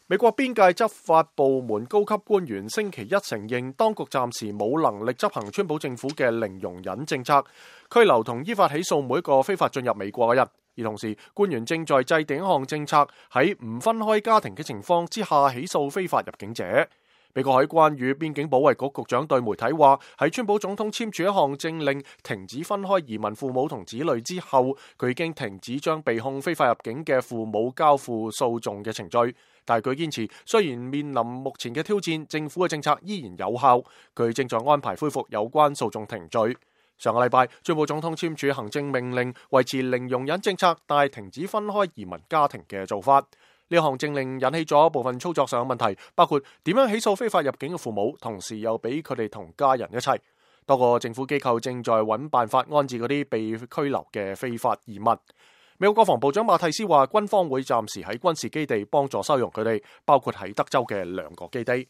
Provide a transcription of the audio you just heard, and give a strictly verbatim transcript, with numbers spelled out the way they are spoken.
美國邊界執法部門高級官員星期一承認，當局暫時冇能力執行川普政府嘅零容忍政策，拘留同依法起訴每一個非法進入美國嘅人。而同時，官員正在制定一項政策，喺唔分開家庭嘅情況之下起訴非法入境者。美國海關與邊境保衛局局長對媒體話，喺川普總統簽署一項政令停止分開移民父母同子女之後，佢已經停止將被控非法入境嘅父母交付訴訟嘅程序。但係佢堅持，雖然面臨目前嘅挑戰，政府嘅政策依然有效。佢正在安排恢復有關訴訟程序。上個禮拜，川普總統簽署行政命令，維持零容忍政策，但係停止分開移民家庭嘅做法。呢項政令引起咗部分操作上嘅問題，包括點樣起訴非法入境嘅父母，同時又俾佢哋同家人一齊。多個政府機構正在揾辦法安置嗰啲被拘留嘅非法移民。美國國防部長馬蒂斯話，軍方會暫時喺軍事基地幫助收容佢哋，包括喺德州嘅兩個基地。